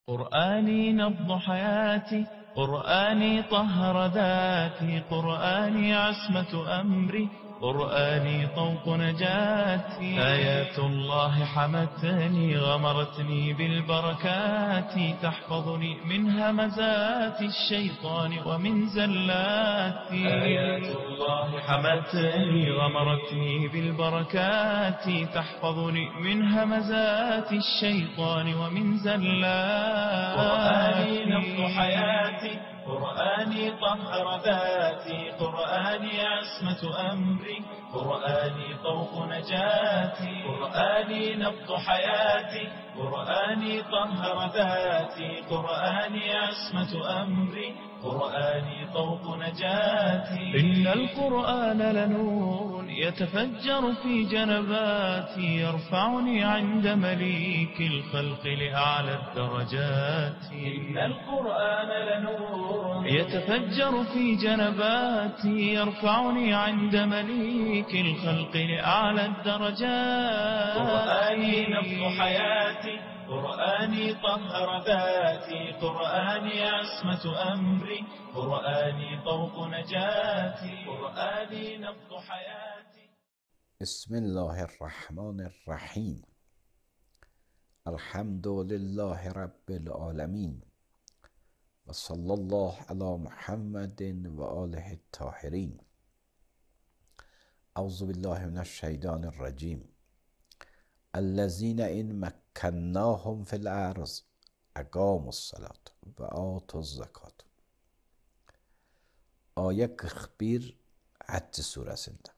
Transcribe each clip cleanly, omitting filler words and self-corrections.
قرآني نبض حياتي، قرآني طهر ذاتي، قرآني عصمة أمري، قرآني طوق نجاتي. آيات الله حمتني غمرتني بالبركات، تحفظني من همزات الشيطان ومن زلاتي. آيات الله حمتني غمرتني بالبركات، تحفظني من همزات الشيطان ومن زلاتي. قرآني نبض حياتي، قرآني طهر ذاتي، قرآني عصمة أمري، قرآني طوق نجاتي. قرآني نبض حياتي، قرآني طهر ذاتي، قرآني عصمة أمري، قرآني طوق نجاتي. إن القرآن لنور يتفجر في جنباتي، يرفعني عند مليك الخلق لأعلى الدرجات. إن القرآن لنور يتفجر في جنباتي، يرفعني عند مليك الخلق لأعلى الدرجات. قرآني نبض حياتي، قرآني طهر ذاتي، قرآني عصمة أمري، قرآني طوق نجاتي. قرآني نبض حياتي. بسم الله الرحمن الرحیم. الحمد لله رب العالمین و صلی الله علی محمد و آله الطاهرین. اعوذ بالله من الشیطان الرجیم. الذين إن مكناهم في الأرض أقاموا الصلاة وآتوا الزكاة. Ayet 41 Həcc surəsində.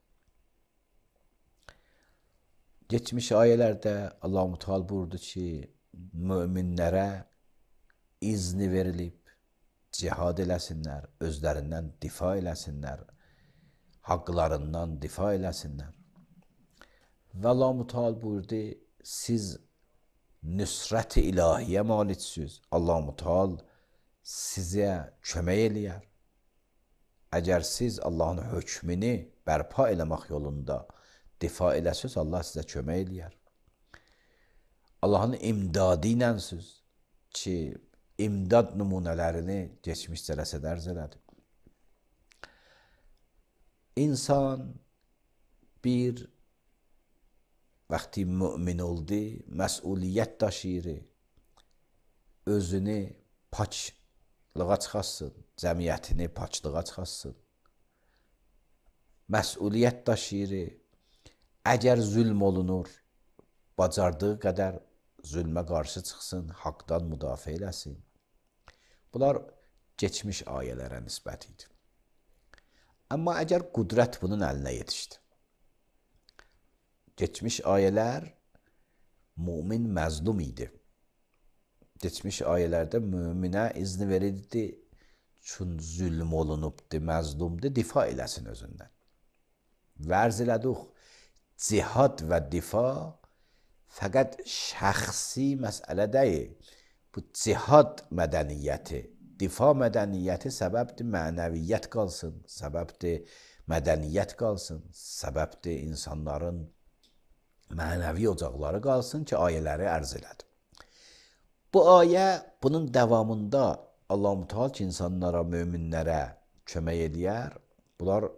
Geçmiş ayələrdə Allah-u Teala buyurdu ki, möminlərə izni verilib, cihad eləsinlər, özlərindən difa eləsinlər, haqlarından difa eləsinlər. Və Allah-u Teala buyurdu, siz nüsrət-i ilahiyyə maliksiniz. Allah-u Teala sizə kömək eləyər. Əgər siz Allahın hökmünü bərpa eləmək yolunda difa eləsiniz, Allah sizə kömək eləyər. Allahın imdadı iləsiniz ki, imdad nümunələrini geçmişdə rəsədərz elədi. İnsan bir vaxtı mümin oldu, məsuliyyət daşıyır, özünü paçlığa çıxarsın, cəmiyyətini paçlığa çıxarsın. Məsuliyyət daşıyır, əgər zülm olunur, bacardığı qədər zülmə qarşı çıxsın, haqdan müdafiə eləsin. Bunlar geçmiş ayələrə nisbət idi. Amma əgər qüdrət bunun əlinə yetişdi, geçmiş ayələr mümin məzlum idi. Geçmiş ayələrdə müminə izni verildi, çün zülm olunubdur, məzlumdur, difa eləsin özündən. Vərz elədik, cihad və difa fəqət şəxsi məsələ deyil. Bu cihad mədəniyyəti, difa mədəniyyəti səbəbdir mənəviyyət qalsın, səbəbdir mədəniyyət qalsın, səbəbdir insanların mənəvi ocaqları qalsın ki, ayələri ərz elədi. Bu ayə bunun davamında Allah-u Teala ki, insanlara, möminlərə kömək eləyər. Bunlar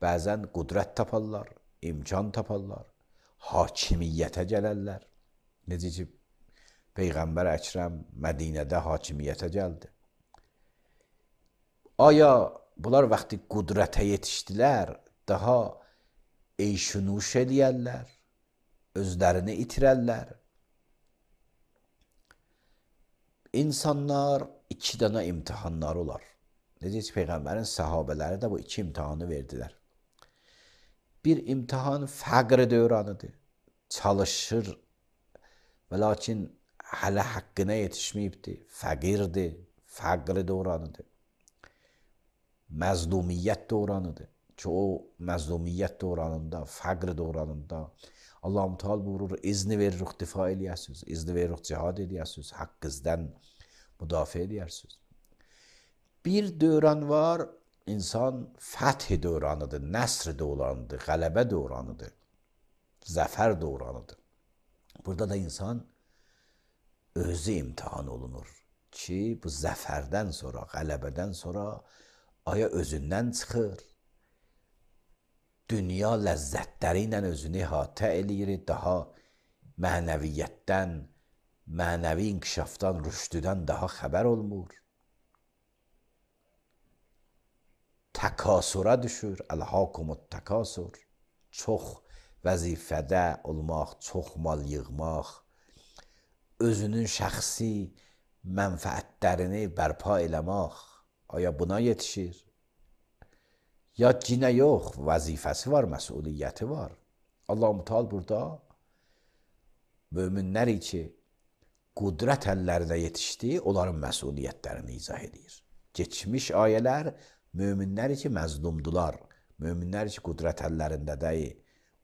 bəzən qüdrət taparlar, imkan taparlar, hakimiyyətə gələrlər. Necə ki, Peyğəmbər Əkrəm Mədinədə hakimiyyətə gəldi. Aya bunlar vaxtı qüdrətə yetişdilər, daha eyşunuş eləyərlər, özlərini itirərlər. İnsanlar iki dənə imtihanları olar. Necə ki, Peyğəmbərin səhabələri də bu iki imtihanı verdilər. Bir imtihan fəqr dövranıdır. Çalışır və lakin hələ haqqına yetişməyibdir. Fəqirdir, fəqr dövranıdır. Məzlumiyyət dövranıdır ki, o məzlumiyyət dövranında, fəqr dövranında Allah-u Teala buyurur, izni veririk, difa eləyəsiniz, izni veririk, cihad eləyəsiniz, haqqınızdan müdafiə eləyəsiniz. Bir dövran var, insan fəth dövranıdır, nəsr dövranıdır, qələbə dövranıdır, zəfər dövranıdır. Burada da insan özü imtihan olunur ki, bu zəfərdən sonra, qələbədən sonra aya özündən çıxır, dünya ləzzətləri ilə özünü əhatə eləyir, daha mənəviyyətdən, mənəvi inkişafdan, rüşdüdən daha xəbər olmur. Təkasura düşür, əlhəkumut təkasur, çox vəzifədə olmaq, çox mal yığmaq, özünün şəxsi mənfəətlərini bərpa eləmək, aya buna yetişir? Ya cinə yox, vəzifəsi var, məsuliyyəti var. Allah-u Teala burada möminləri ki, qudrət əllərinə yetişdi, onların məsuliyyətlərini izah edir. Geçmiş ayələr möminləri ki, məzlumdular, möminləri ki, qudrət əllərində deyil,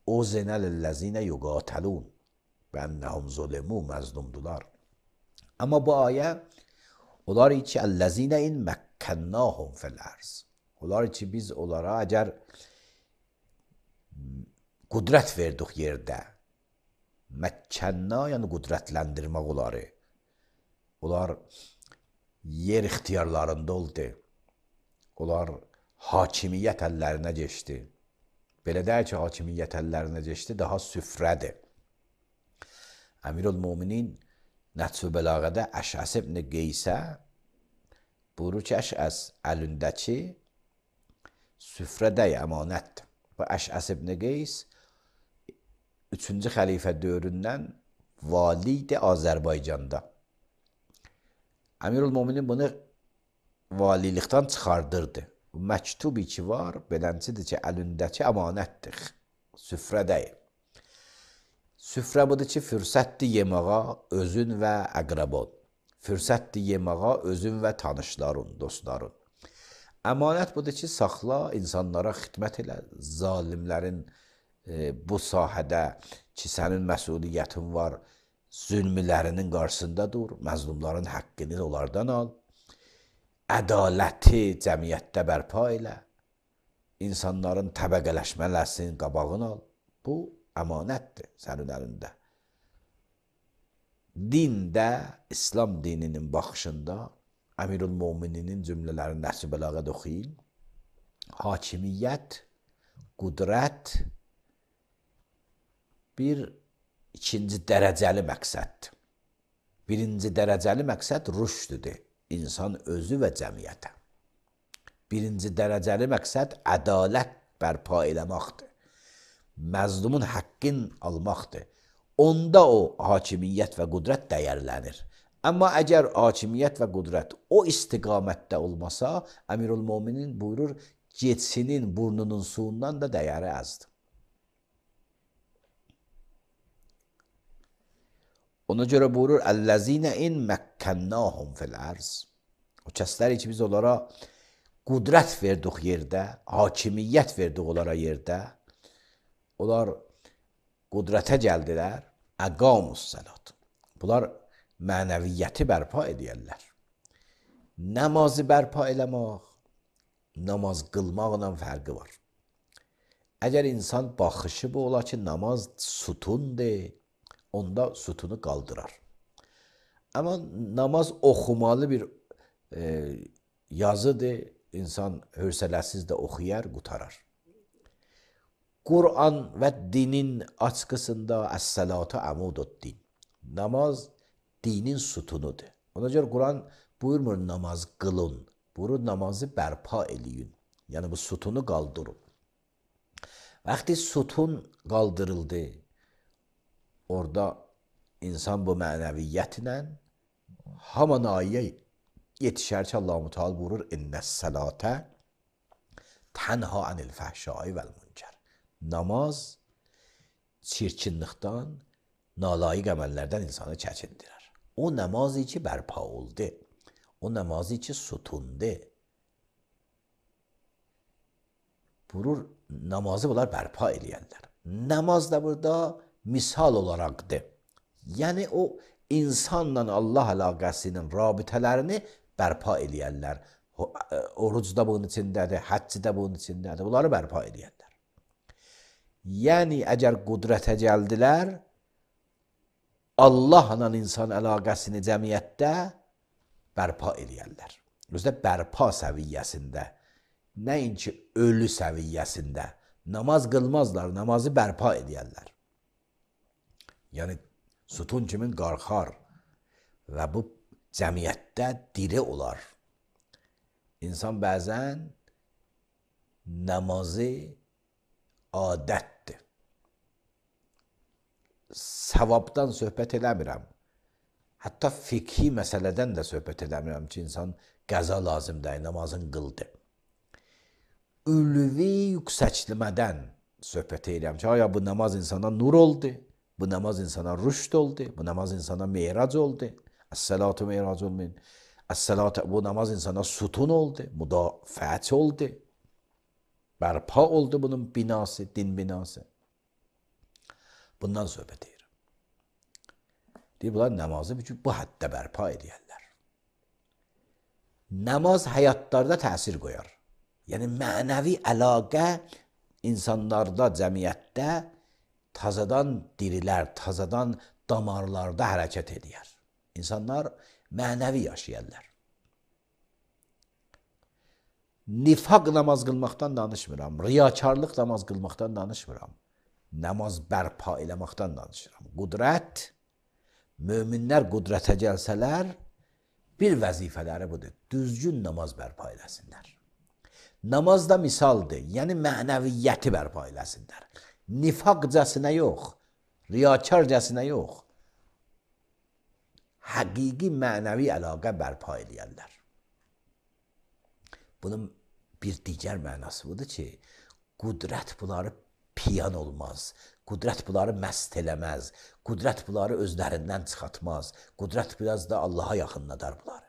o zenəlləzinə yuqatəlun, bənnəhum zulimu, məzlumdular. Amma bu ayə, onlar ki, əlləzinə in məkkənnahum fil-ərz, onlar ki, biz onlara əgər qudrət verdik yerdə, məkkənna, yəni qudrətləndirmək onları, onlar yer ixtiyarlarında oldu, onlar hakimiyyət əllərinə geçdi. Belə deyək ki, hakimiyyət əllərinə geçdi, daha süfrədir. Əmirül-Müminin Nəhcü Bəlağədə Əşəs ibn Qeysə buyurur ki, Əşəs əlindəki süfrədə əmanətdir. Bu Əşəs ibn Qeys 3-cü xəlifə dövründən valiydi Azərbaycanda. Əmirül-Müminin bunu valilikdən çıxardırdı. Bu məktubi ki var, beləncidir ki, əlindəki əmanətdir, süfrədəyim. Süfrə budur ki, fürsətdir yeməğa özün və əqrəbon, fürsətdir yeməğa özün və tanışların, dostların. Əmanət budur ki, saxla, insanlara xidmət elə, zalimlərin bu sahədə ki, sənin məsuliyyətin var, zülmlərinin qarşısında dur, məzlumların haqqını onlardan al, ədaləti cəmiyyətdə bərpa elə, insanların təbəqələşmələsinin qabağını al. Bu, əmanətdir sənin əlində. Dində, İslam dininin baxışında, Əmirül-Mömininin cümlələrini Nəhcü Bəlağədə oxuyun, hakimiyyət, qudrət bir ikinci dərəcəli məqsəddir. Birinci dərəcəli məqsəd rüşdüdür, insan özü və cəmiyyətə. Birinci dərəcəli məqsəd ədalət bərpa eləməkdir. Məzlumun haqqın almaqdır. Onda o hakimiyyət və qudrət dəyərlənir. Amma əgər hakimiyyət və qudrət o istiqamətdə olmasa, Əmirül-Möminin buyurur, geçsinin burnunun suyundan da dəyəri azdır. Ona görə buyurur, Əlləzinə in məkkənnahum fil-ərz. O kəsləri ki, biz onlara qudrət verdik yerdə, hakimiyyət verdik onlara yerdə, onlar qudrətə gəldilər, əqamus səlat. Bunlar mənəviyyəti bərpa edərlər. Namazı bərpa eləmək, namaz qılmaqla fərqi var. Əgər insan baxışı bu ola ki, namaz sütundur, onda sütunu qaldırar. Amma namaz oxumalı bir yazıdır, insan hövsələsiz də oxuyar, qutarar. Qur'an və dinin açqısında əs-səlatu əmududdin. Namaz dinin sütunudur. Ona görə Qur'an buyurmur namaz qılın, buyurur namazı bərpa eləyin. Yəni bu sütunu qaldırın. Vaxtı sütun qaldırıldı, orada insan bu mənəviyyətlə haman ayə yetişər ki, Allah-u Teala buyurur, İnnəs-sələtə tənha anil fəhşai vəl-münkər. Namaz çirkinlikdən, nalayiq əməllərdən insanı çəkindirər. O namazı ki bərpa oldu, o namazı ki sütundu. Buyurur, namazı bunlar bərpa eləyərlər. Namaz da burada misal olaraqdır. Yəni o insanla Allah əlaqəsinin rabitələrini bərpa eləyərlər. Oruc da bunun içindədir, həcc də bunun içindədir. Bunları bərpa eləyərlər. Yəni əgər qudrətə gəldilər, Allahla insan əlaqəsini cəmiyyətdə bərpa edərlər. Özdə bərpa səviyyəsində, nəinki ölü səviyyəsində namaz qılmazlar, namazı bərpa edərlər. Yəni, sütun kimin qarxar və bu cəmiyyətdə diri olar. İnsan bəzən namazı adətdir. Savabdan söhbət eləmirəm. Hətta fikhi məsələdən də söhbət eləmirəm ki, insan qəza lazımdır, namazın qıldı. Ülvi yüksəklimədən söhbət edirəm ki, aya bu namaz insana nur oldu, bu namaz insana rüşd oldu, bu namaz insana meyrac oldu. Əs-salatu meyracul min. Bu namaz insana sütun oldu, müdafiət oldu. Bərpa oldu bunun binası, din binası. Bundan söhbət edirəm. Deyir, bunlar namazı bu həddə bərpa edirlər. Namaz həyatlarda təsir qoyar. Yəni, mənəvi əlaqə insanlarda, cəmiyyətdə tazadan dirilər, tazadan damarlarda hərəkət edir. İnsanlar mənəvi yaşayırlar. Nifaq namaz qılmaqdan danışmıram, riyakarlıq namaz qılmaqdan danışmıram. Namaz bərpa eləməkdən danışıram. Qudrət, möminlər qudrətə gəlsələr, bir vəzifələri budur, düzgün namaz bərpa eləsinlər. Namaz da misaldır, yəni mənəviyyəti bərpa eləsinlər. Nifaqcasına yox, riyakarcasına yox, həqiqi mənəvi əlaqə bərpa eləyərlər. Bunun bir digər mənası budur ki, qudrət bunları piyan olmaz, qudrət bunları məst eləməz, qudrət bunları özlərindən çıxartmaz, qudrət biraz da Allaha yaxınladar bunları.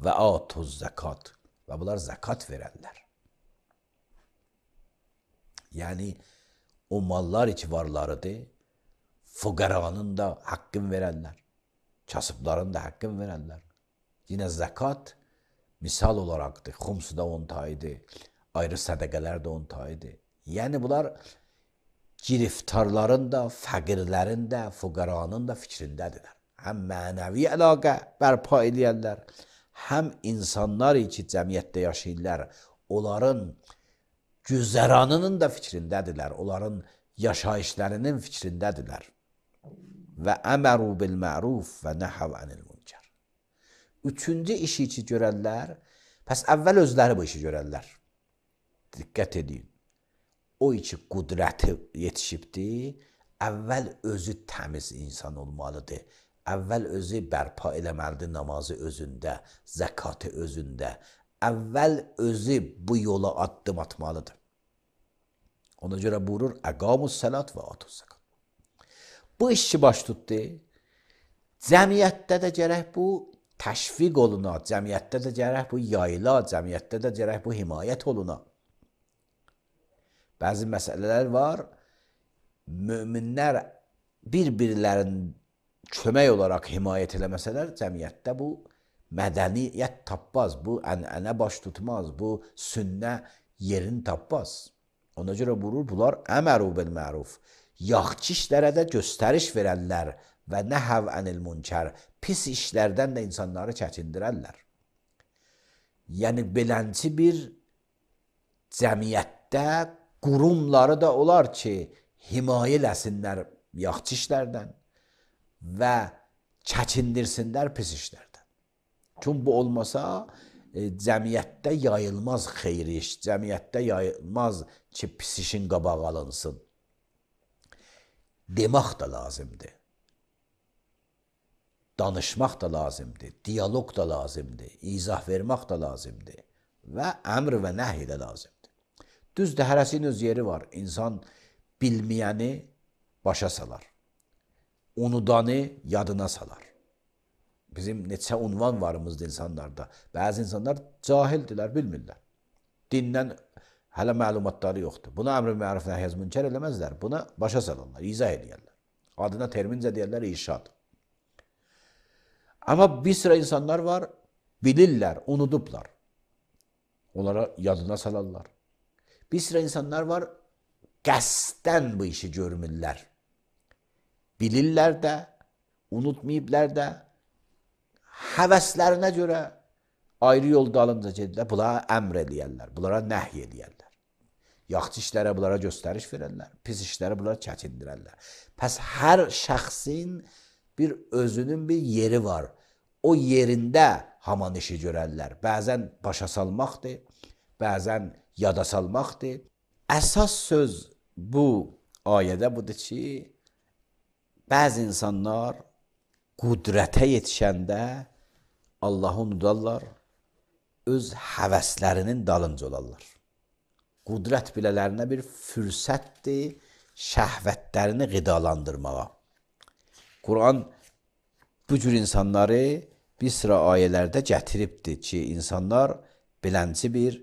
Və atuz zəkat, və bunlar zəkat verərlər. Yəni, o mallar ki varlarıdır, fuqaranın da haqqın verərlər, kasıbların da haqqın verərlər. Yine zəkat misal olaraqdır. Xums da 10 tayıdır, ayrı sədəqələr də 10 tayıdır. Yəni bunlar giriftarların da, fəqirlərin də, fuqaranın da fikrindədirlər. Həm mənəvi əlaqə bərpa eləyərlər, həm insanlar ki cəmiyyətdə yaşayırlar, onların güzəranının da fikrindədirlər, onların yaşayışlarının fikrindədirlər. Və əməru bil məruf və nəhəv ənil münkər. Üçüncü işi ki görərlər, pəs əvvəl özləri bu işi görərlər. Diqqət edin. O ki qudrəti yetişibdir, əvvəl özü təmiz insan olmalıdır. Əvvəl özü bərpa eləməlidir namazı özündə, zəkatı özündə. Əvvəl özü bu yola addım atmalıdır. Ona görə buyurur, əqamus səlat və atuz zəkat. Bu işçi baş tutdu. Cəmiyyətdə də gərək bu təşviq oluna, cəmiyyətdə də gərək bu yayıla, cəmiyyətdə də gərək bu himayət oluna. Bəzi məsələlər var, möminlər bir-birlərinin kömək olaraq himayət eləməsələr, cəmiyyətdə bu mədəniyyət tapmaz, bu ənənə baş tutmaz, bu sünnə yerini tapmaz. Ona görə buyurur, bunlar əməru bil məruf. Yaxşı işlərə də göstəriş verərlər və nəhəv ənil münkər. Pis işlərdən də insanları çəkindirərlər. Yəni, belənci bir cəmiyyətdə qurumları da olar ki, himayə eləsinlər yaxşı işlərdən və çəkindirsinlər pis işlərdən. Çünki bu olmasa, cəmiyyətdə yayılmaz xeyri iş, cəmiyyətdə yayılmaz ki, pis işin qabağı alınsın. Demək da lazımdır. Danışmaq da lazımdır, diyalog da lazımdır, izah vermək da lazımdır və əmr və nəhy də lazımdır. Düzdür, hərəsinin öz yeri var. İnsan bilməyəni başa salar, unudanı yadına salar. Bizim neçə unvan varımızdır insanlarda. Bəzi insanlar cahildirlər, bilmirlər. Dindən hələ məlumatları yoxdur. Buna əmr məruf nəhy münkər eləməzlər. Buna başa salırlar, izah edirlər. Adına termincə deyirlər irşad. Amma bir sıra insanlar var, bilirlər, unudublar. Onlara yadına salarlar. Bir sıra insanlar var, qəsdən bu işi görmürlər. Bilirlər də, unutmayıblar da, həvəslərinə görə ayrı yol dalınca gedirlər. Bunlara əmr eləyərlər, bunlara nəhy eləyərlər. Yaxşı işlərə bunlara göstəriş verərlər, pis işlərə bunlara çəkindirərlər. Pəs hər şəxsin bir özünün bir yeri var. O yerində haman işi görərlər. Bəzən başa salmaqdır, bəzən yada salmaqdır. Əsas söz bu ayədə budur ki, bəzi insanlar qudrətə yetişəndə Allahı unudarlar, öz həvəslərinin dalınca olarlar. Qudrət bilələrinə bir fürsətdir şəhvətlərini qidalandırmağa. Quran bu cür insanları bir sıra ayələrdə gətiribdir ki, insanlar bilənci bir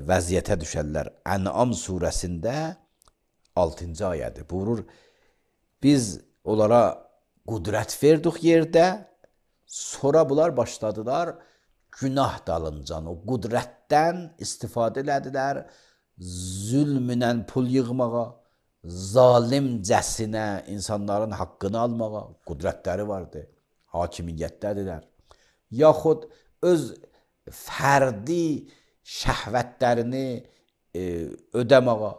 vəziyyətə düşərlər. Ən'am surəsində 6-cı ayədir. Buyurur, biz onlara qudrət verdik yerdə, sonra bunlar başladılar günah dalıncan. O qudrətdən istifadə elədilər, zülmünə pul yığmağa, zalimcəsinə insanların haqqını almağa, qudrətləri vardı, hakimiyyətdədirlər. Yaxud öz fərdi şəhvətlərini ödəməğa.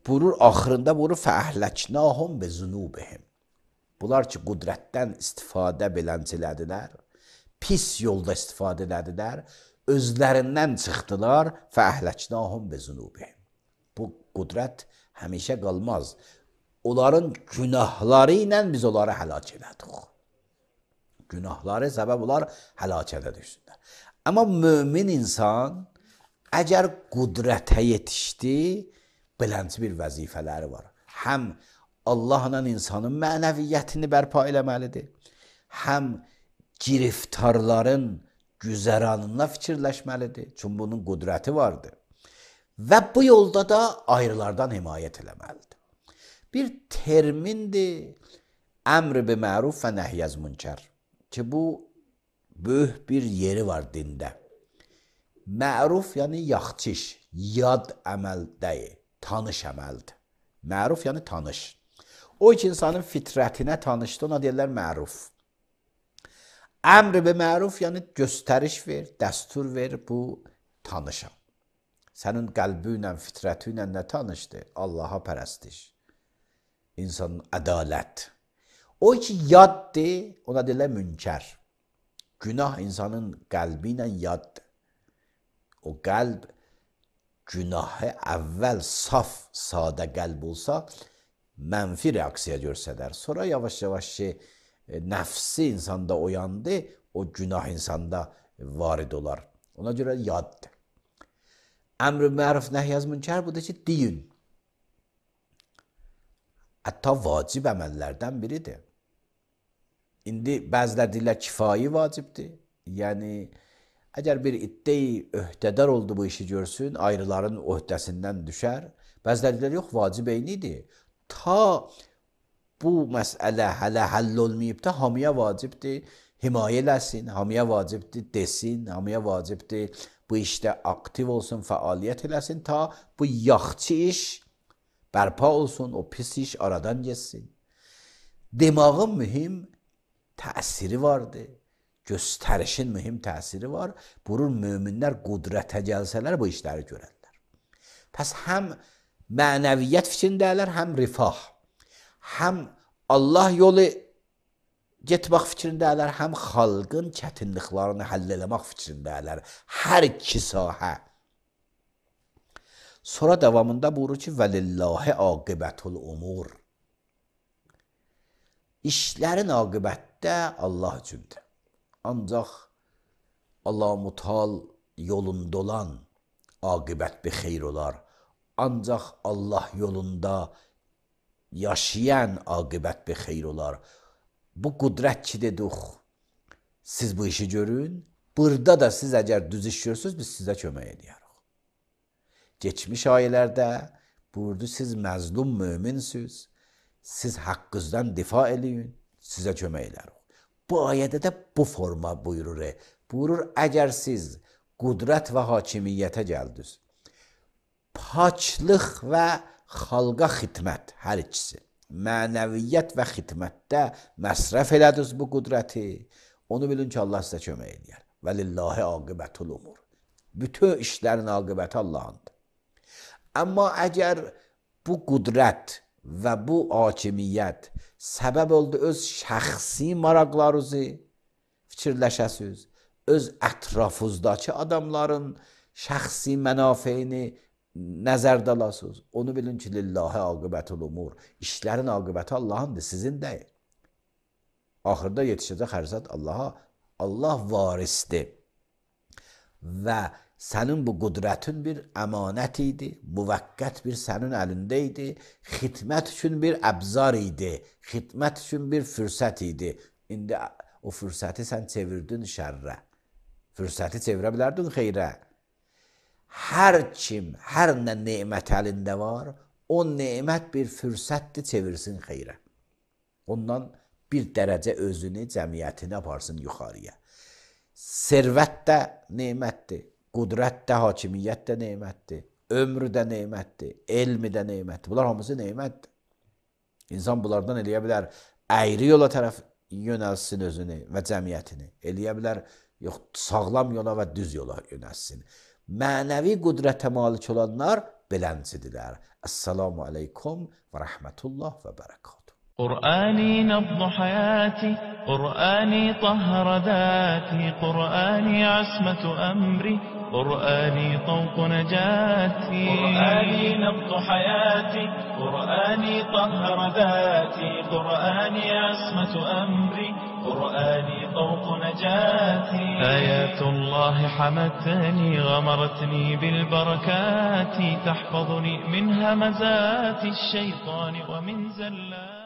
Buyurur, axırında buyurur, fəəhləknahum bi zunubihim. Bunlar ki, qudrətdən istifadə bilənçilədilər, pis yolda istifadə elədilər, özlərindən çıxdılar, fəəhləknahum bi zunubihim. Bu qudrət həmişə qalmaz. Onların günahları ilə biz onları həlak elədik. Günahları səbəb olar həlakətə düşsünlər. Amma mömin insan əgər qudrətə yetişdi, bilənci bir vəzifələri var. Həm Allahla insanın mənəviyyətini bərpa eləməlidir, həm giriftarların güzəranına fikirləşməlidir. Çünki bunun qudrəti vardır. Və bu yolda da ayrılardan himayət eləməlidir. Bir termindir, əmr bi məruf və nəhyəz münkər. Ki bu böyük bir yeri var dində. Məruf yəni yaxşı iş, yad əməl deyil, tanış əməldir. Məruf yəni tanış. O iki insanın fitrətinə tanışdı, ona deyirlər məruf. Əmr bi məruf yəni göstəriş ver, dəstur ver, bu tanışam. Sənin qəlbi ilə, fitrəti ilə nə tanışdır? Allaha pərəstiş, insanın ədalət. O ki yaddır, ona deyirlər münkər. Günah insanın qəlbi ilə yaddır. O qəlb günahı əvvəl saf, sadə qəlb olsa, mənfi reaksiya görsədər. Sonra yavaş-yavaş ki, nəfsi insanda oyandı, o günah insanda varid olar. Ona görə yaddır. Əmr-i məruf nəhyəz münkər budur ki, deyin. Hətta vacib əməllərdən biridir. İndi bəzilər deyirlər kifayi vacibdir. Yəni, əgər bir iddeyi öhdədar oldu bu işi görsün, ayrıların öhdəsindən düşər. Bəzilər deyirlər, yox, vacib eynidir. Ta bu məsələ hələ həll olmayıb da hamıya vacibdir, himayə eləsin, hamıya vacibdir, desin, hamıya vacibdir, bu işdə aktiv olsun, fəaliyyət eləsin, ta bu yaxçı iş bərpa olsun, o pis iş aradan geçsin. Demağın mühim təsiri vardır, göstərişin mühim təsiri var. Buyurur, möminlər qudrətə gəlsələr bu işləri görərlər. Pəs həm mənəviyyət fikrindələr, həm rifah, həm Allah yolu getmək fikrindələr, həm xalqın çətinliklərini həll eləmək fikrindələr. Hər iki sahə. Sonra davamında buyurur ki, vəlillahi aqibətul umur. İşlərin aqibətdə Allah üçündür. Ancaq Allah-u Mutal yolunda olan aqibət bir xeyr olar. Ancaq Allah yolunda yaşayan aqibət bir xeyr olar. Bu qudrət ki dedik, siz bu işi görün. Burada da siz əgər düz iş görürsünüz, biz sizə kömək edərik. Geçmiş ayələrdə buyurdu, siz məzlum möminsiniz, siz haqqınızdan difa eləyin, sizə kömək edərik. Bu ayədə də bu forma buyurur. Buyurur, əgər siz qudrət və hakimiyyətə gəldiniz, paçlıq və xalqa xidmət hər ikisi. Mənəviyyət və xidmətdə məsrəf elədiniz bu qudrəti. Onu bilin ki, Allah sizə kömək eləyər. Və lillahi aqibətul umur. Bütün işlərin aqibəti Allahındır. Amma əgər bu qudrət və bu hakimiyyət səbəb oldu öz şəxsi maraqlarınızı fikirləşəsiniz, öz ətrafınızdakı adamların şəxsi mənafeyini nəzərdə alasınız. Onu bilin ki, lillahi aqibətul umur. İşlərin aqibəti Allahındır, sizin deyil. Axırda yetişəcək hər zat Allaha. Allah varisdir. Və sənin bu qudrətin bir əmanət idi, müvəqqət bir sənin əlində idi, xidmət üçün bir əbzar idi, xidmət üçün bir fürsət idi. İndi o fürsəti sən çevirdin şərrə. Fürsəti çevirə bilərdin xeyrə. Hər kim, hər nə nemət əlində var, o nemət bir fürsətdir, çevirsin xeyrə. Ondan bir dərəcə özünü, cəmiyyətini aparsın yuxarıya. Servət də nemətdir, qudrət də, hakimiyyət də nemətdir, ömrü də nemətdir, elmi də nemətdir. Bunlar hamısı nemətdir. İnsan bunlardan eləyə bilər, əyri yola tərəf yönəlsin özünü və cəmiyyətini. Eləyə bilər, yox, sağlam yola və düz yola yönəlsin. Mənəvi qudrətə malik olanlar beləncədirlər. Esselamu aleykum və rəhmətullah və bərəkatuhu. قرآني نبض حياتي، قرآني طهر ذاتي، قرآني عصمة أمري، قرآني طوق نجاتي. قرآني نبض حياتي، قرآني طهر ذاتي، قرآني عصمة أمري، قرآني طوق نجاتي. آيات الله حمتني، غمرتني بالبركات، تحفظني من همزات الشيطان ومن زلات